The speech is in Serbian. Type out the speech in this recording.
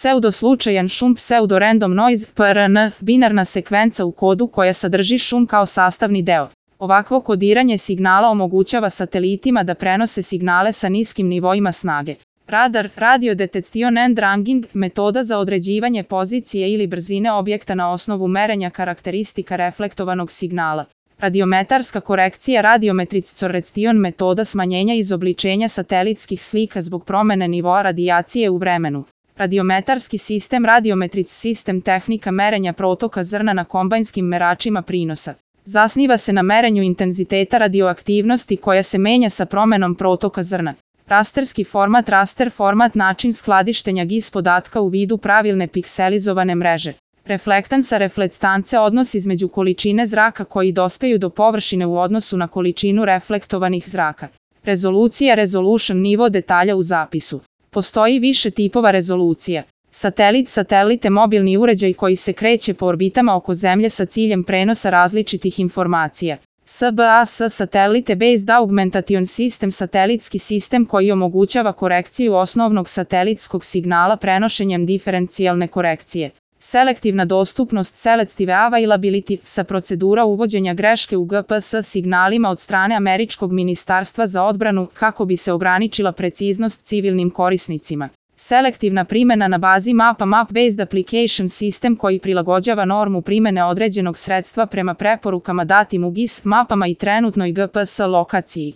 Pseudoslučajan šum, pseudo-random noise, PRN, binarna sekvenca u kodu koja sadrži šum kao sastavni deo. Ovakvo kodiranje signala omogućava satelitima da prenose signale sa niskim nivoima snage. Radar, radio detection and ranging, metoda za određivanje pozicije ili brzine objekta na osnovu merenja karakteristika reflektovanog signala. Radiometarska korekcija, radiometric-correction, metoda smanjenja izobličenja satelitskih slika zbog promene nivoa radijacije u vremenu. Radiometarski sistem, radiometric sistem, tehnika merenja protoka zrna na kombajnskim meračima prinosa. Zasniva se na merenju intenziteta radioaktivnosti koja se menja sa promenom protoka zrna. Rasterski format, raster format, način skladištenja GIS podatka u vidu pravilne pikselizovane mreže. Reflektansa, reflektance, odnos između količine zraka koji dospeju do površine u odnosu na količinu reflektovanih zraka. Rezolucija, resolution, nivo detalja u zapisu. Postoji više tipova rezolucija. Satelit, satelite, mobilni uređaj koji se kreće po orbitama oko Zemlje sa ciljem prenosa različitih informacija. SBS, Satellite Based Augmentation System, satelitski sistem koji omogućava korekciju osnovnog satelitskog signala prenošenjem diferencijalne korekcije. Selektivna dostupnost, selective availability, sa procedura uvođenja greške u GPS signalima od strane Američkog ministarstva za odbranu kako bi se ograničila preciznost civilnim korisnicima. Selektivna primjena na bazi mapa, map-based application sistem koji prilagođava normu primjene određenog sredstva prema preporukama datim u GIS mapama i trenutnoj GPS lokaciji.